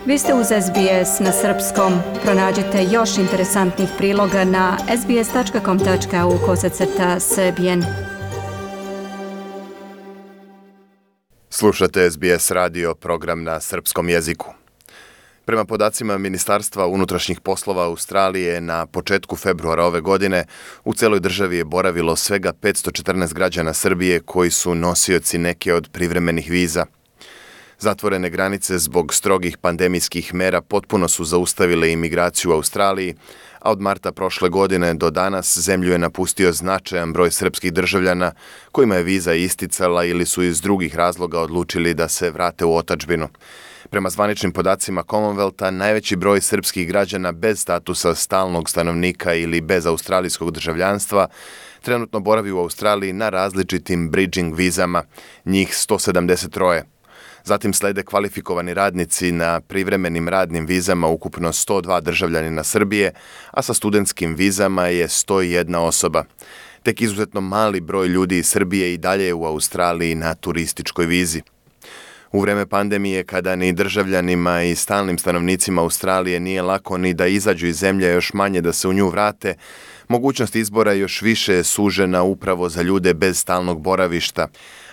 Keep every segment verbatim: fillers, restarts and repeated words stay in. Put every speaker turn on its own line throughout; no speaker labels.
Vi ste uz S B S na srpskom. Pronađite još interesantnih priloga na sbs.com.au kosacrta srbijen.
Slušate S B S radio, program na srpskom jeziku. Prema podacima Ministarstva unutrašnjih poslova Australije, na početku februara ove godine u celoj državi je boravilo svega petsto četrnaest građana Srbije koji su nosioci neke od privremenih viza. Zatvorene granice zbog strogih pandemijskih mera potpuno su zaustavile imigraciju u Australiji, a od marta prošle godine do danas zemlju je napustio značajan broj srpskih državljana kojima je viza isticala ili su iz drugih razloga odlučili da se vrate u otadžbinu. Prema zvaničnim podacima Commonwealtha, najveći broj srpskih građana bez statusa stalnog stanovnika ili bez australijskog državljanstva trenutno boravi u Australiji na različitim bridging vizama, njih sto sedamdeset tri. Zatim slede kvalifikovani radnici na privremenim radnim vizama, ukupno sto dva državljanina Srbije, a sa studentskim vizama je sto jedna osoba. Tek izuzetno mali broj ljudi iz Srbije i dalje je u Australiji na turističkoj vizi. U vreme pandemije, kada ni državljanima i stalnim stanovnicima Australije nije lako ni da izađu iz zemlje, još manje da se u nju vrate, mogućnost izbora još više je sužena upravo za ljude bez stalnog boravišta.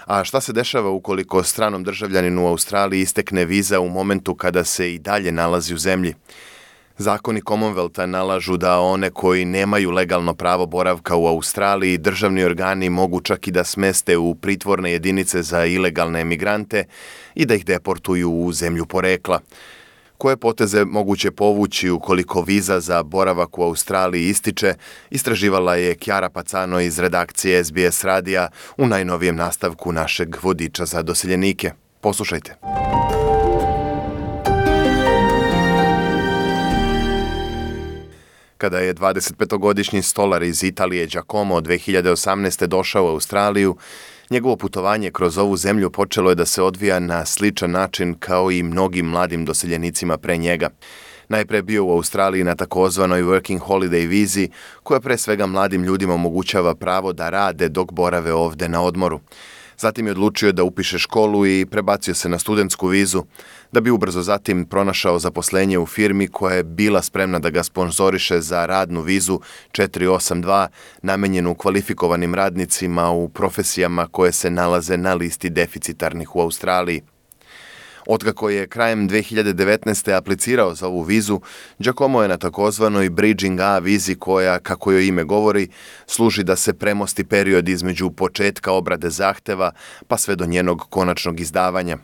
A šta se dešava ukoliko stranom državljaninu u Australiji istekne viza u momentu kada se i dalje nalazi u zemlji? Zakoni Commonwealtha nalažu da one koji nemaju legalno pravo boravka u Australiji, državni organi mogu čak i da smeste u pritvorne jedinice za ilegalne emigrante i da ih deportuju u zemlju porekla. Koje poteze moguće povući ukoliko viza za boravak u Australiji ističe, istraživala je Chiara Pacano iz redakcije S B S radija u najnovijem nastavku našeg vodiča za doseljenike. Poslušajte. Kada je dvadesetpetogodišnji stolar iz Italije Giacomo dve hiljade osamnaeste. došao u Australiju, njegovo putovanje kroz ovu zemlju počelo je da se odvija na sličan način kao i mnogim mladim doseljenicima pre njega. Najpre bio u Australiji na takozvanoj Working Holiday vizi, koja pre svega mladim ljudima omogućava pravo da rade dok borave ovde na odmoru. Zatim je odlučio da upiše školu i prebacio se na studentsku vizu, da bi ubrzo zatim pronašao zaposlenje u firmi koja je bila spremna da ga sponzoriše za radnu vizu četiri osam dva, namenjenu kvalifikovanim radnicima u profesijama koje se nalaze na listi deficitarnih u Australiji. Otkako je krajem dve hiljade devetnaeste. aplicirao za ovu vizu, Giacomo je na takozvanoj Bridging A vizi koja, kako joj ime govori, služi da se premosti period između početka obrade zahteva pa sve do njenog konačnog izdavanja.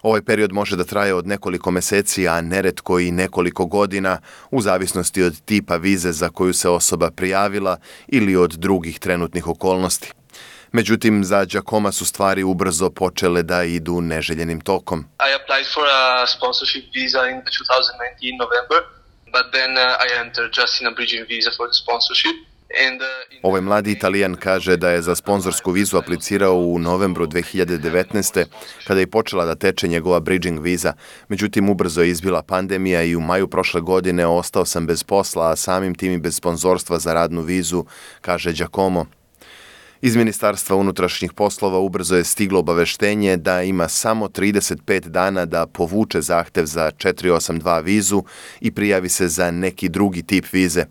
Ovaj period može da traje od nekoliko meseci, a neretko i nekoliko godina, u zavisnosti od tipa vize za koju se osoba prijavila ili od drugih trenutnih okolnosti. Međutim, za Giacoma su stvari ubrzo počele da idu neželjenim tokom.
I applied for a sponsorship visa in twenty nineteen November, but then uh, I entered just in a bridging visa for the sponsorship. And, uh, in...
Ovaj mladi Italijan kaže da je za sponzorsku vizu aplicirao u novembru dve hiljade devetnaeste. kada je počela da teče njegova bridging viza. Međutim, ubrzo je izbila pandemija i u maju prošle godine ostao sam bez posla, a samim tim i bez sponzorstva za radnu vizu, kaže Giacomo. Iz Ministarstva unutrašnjih poslova ubrzo je stiglo obaveštenje da ima samo trideset pet dana da povuče zahtev za četiri osam dva vizu i prijavi se za neki drugi tip vize.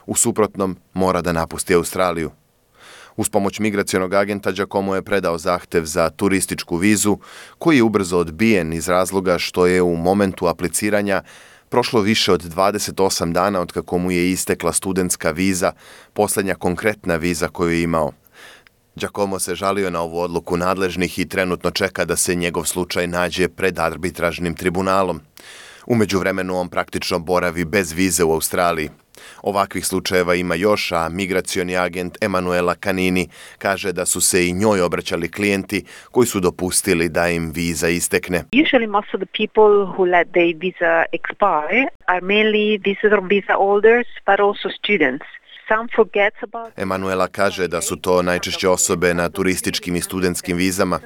U suprotnom, mora da napusti Australiju. Uz pomoć migracionog agenta Giacomo je predao zahtev za turističku vizu, koji je ubrzo odbijen iz razloga što je u momentu apliciranja prošlo više od dvadeset osam dana od kako mu je istekla studentska viza, poslednja konkretna viza koju je imao. Giacomo se žalio na ovu odluku nadležnih i trenutno čeka da se njegov slučaj nađe pred arbitražnim tribunalom. U međuvremenu on praktično boravi bez vize u Australiji. Ovakvih slučajeva ima još, a migracioni agent Emanuela Canini kaže da su se i njoj obraćali klijenti koji su dopustili da im viza istekne.
Usually most of the people who let their visa expire are mainly visitor visa holders, but also students.
Emanuela kaže da su to najčešće osobe na turističkim i studentskim vizama.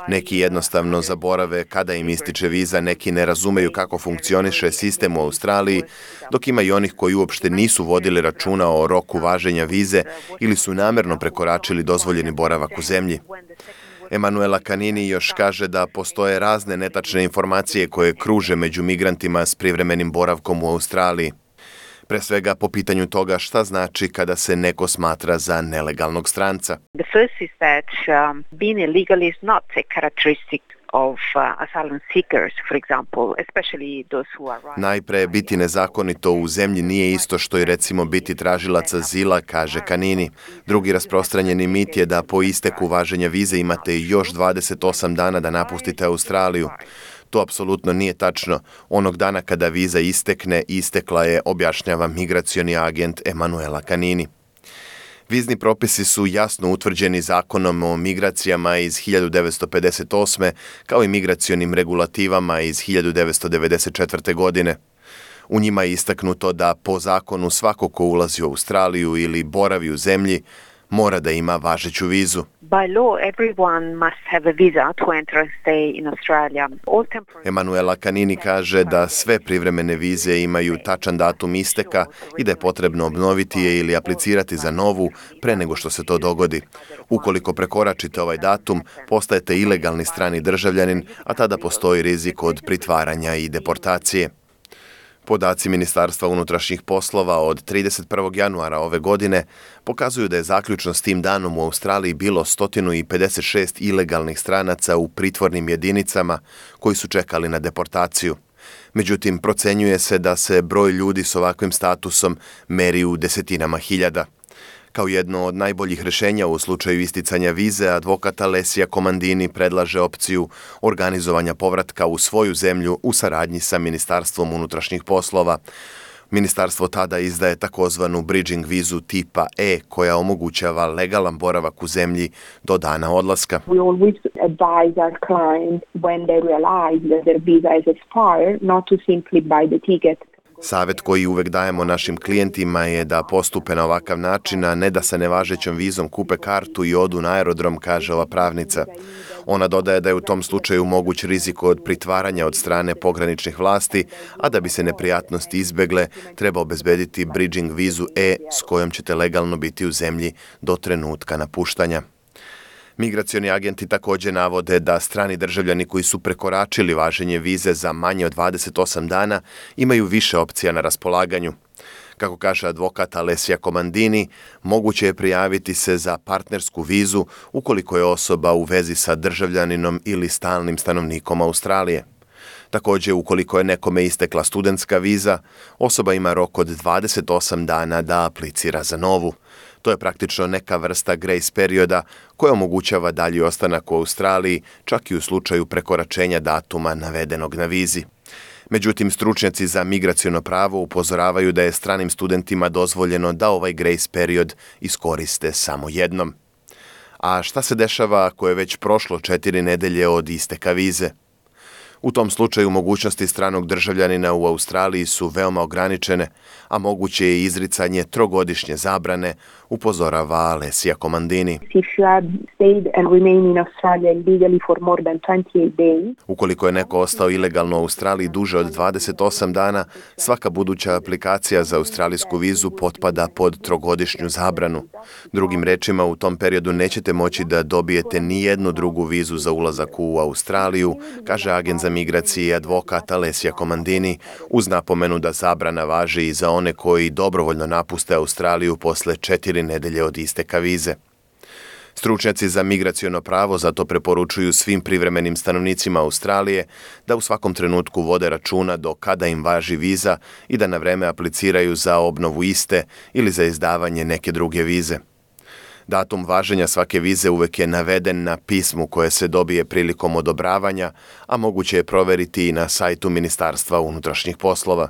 Neki jednostavno zaborave kada im ističe viza, neki ne razumeju kako funkcioniše sistem u Australiji, dok ima i onih koji uopšte nisu vodili računa o roku važenja vize ili su namerno prekoračili dozvoljeni boravak u zemlji. Emanuela Canini još kaže da postoje razne netačne informacije koje kruže među migrantima s privremenim boravkom u Australiji. Pre svega po pitanju toga šta znači kada se neko smatra za nelegalnog stranca.
The first is that um, being illegal is not a characteristic of uh, asylum seekers, for example, especially those who are right.
Najpre, biti nezakonito u zemlji nije isto što i recimo biti tražilac azila, kaže Canini. Drugi rasprostranjeni mit je da po isteku važenja vize imate još dvadeset osam dana da napustite Australiju. To apsolutno nije tačno. Onog dana kada viza istekne, istekla je, objašnjava migracioni agent Emanuela Canini. Vizni propisi su jasno utvrđeni zakonom o migracijama iz hiljadu devetsto pedeset osme kao i migracionim regulativama iz hiljadu devetsto devedeset četvrte. godine. U njima je istaknuto da po zakonu svako ko ulazi u Australiju ili boravi u zemlji mora da ima važeću vizu.
By law, everyone must have a visa to enter and stay in Australia. All temporary...
Emanuela Canini kaže da sve privremene vize imaju tačan datum isteka i da je potrebno obnoviti je ili aplicirati za novu pre nego što se to dogodi. Ukoliko prekoračite ovaj datum, postajete ilegalni strani državljanin, a tada postoji rizik od pritvaranja i deportacije. Podaci Ministarstva unutrašnjih poslova od trideset prvog januara ove godine pokazuju da je zaključno s tim danom u Australiji bilo sto pedeset šest ilegalnih stranaca u pritvornim jedinicama koji su čekali na deportaciju. Međutim, procenjuje se da se broj ljudi s ovakvim statusom meri u desetinama hiljada. Kao jedno od najboljih rješenja u slučaju isticanja vize, advokat Alessia Comandini predlaže opciju organizovanja povratka u svoju zemlju u saradnji sa Ministarstvom unutrašnjih poslova. Ministarstvo tada izdaje takozvanu bridging vizu tipa E koja omogućava legalan boravak u zemlji do dana odlaska.
We always advise our clients when they realize that their visa is expired not to simply buy the ticket.
Savjet koji uvek dajemo našim klijentima je da postupe na ovakav način, a ne da sa nevažećom vizom kupe kartu i odu na aerodrom, kaže ova pravnica. Ona dodaje da je u tom slučaju moguć rizik od pritvaranja od strane pograničnih vlasti, a da bi se neprijatnosti izbegle, treba obezbediti bridging vizu E s kojom ćete legalno biti u zemlji do trenutka napuštanja. Migracioni agenti također navode da strani državljani koji su prekoračili važenje vize za manje od dvadeset osam dana imaju više opcija na raspolaganju. Kako kaže advokat Alessia Comandini, moguće je prijaviti se za partnersku vizu ukoliko je osoba u vezi sa državljaninom ili stalnim stanovnikom Australije. Također, ukoliko je nekome istekla studentska viza, osoba ima rok od dvadeset osam dana da aplicira za novu. To je praktično neka vrsta grace perioda koja omogućava dalji ostanak u Australiji, čak i u slučaju prekoračenja datuma navedenog na vizi. Međutim, stručnjaci za migraciono pravo upozoravaju da je stranim studentima dozvoljeno da ovaj grace period iskoriste samo jednom. A šta se dešava ako je već prošlo četiri nedelje od isteka vize? U tom slučaju mogućnosti stranog državljanina u Australiji su veoma ograničene, a moguće je izricanje trogodišnje zabrane, upozorava Alessia Comandini.
If you have stayed and remained in Australia illegally for more than twenty-eight days,
Ukoliko je neko ostao ilegalno u Australiji duže od dvadeset osam dana, svaka buduća aplikacija za australijsku vizu potpada pod trogodišnju zabranu. Drugim rečima, u tom periodu nećete moći da dobijete ni jednu drugu vizu za ulazak u Australiju, kaže agent za migracije i advokat Alessia Comandini, uz napomenu da zabrana važi i za one koji dobrovoljno napuste Australiju posle četiri nedelje od isteka vize. Stručnjaci za migraciono pravo zato preporučuju svim privremenim stanovnicima Australije da u svakom trenutku vode računa do kada im važi viza i da na vreme apliciraju za obnovu iste ili za izdavanje neke druge vize. Datum važenja svake vize uvek je naveden na pismu koje se dobije prilikom odobravanja, a moguće je proveriti i na sajtu Ministarstva unutrašnjih poslova.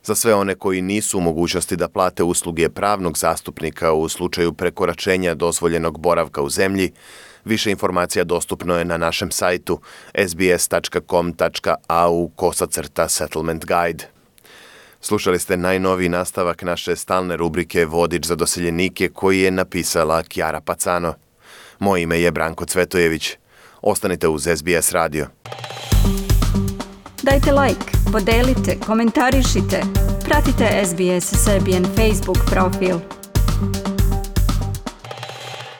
Za sve one koji nisu u mogućnosti da plate usluge pravnog zastupnika u slučaju prekoračenja dozvoljenog boravka u zemlji, više informacija dostupno je na našem sajtu s b s tačka com tačka a u kosacrta settlement guide. Slušali ste najnoviji nastavak naše stalne rubrike Vodič za doseljenike koji je napisala Chiara Pacano. Moje ime je Branko Cvetojević. Ostanite uz S B S radio.
Dajte like, podelite, komentarišite. Pratite S B S Serbian Facebook profil.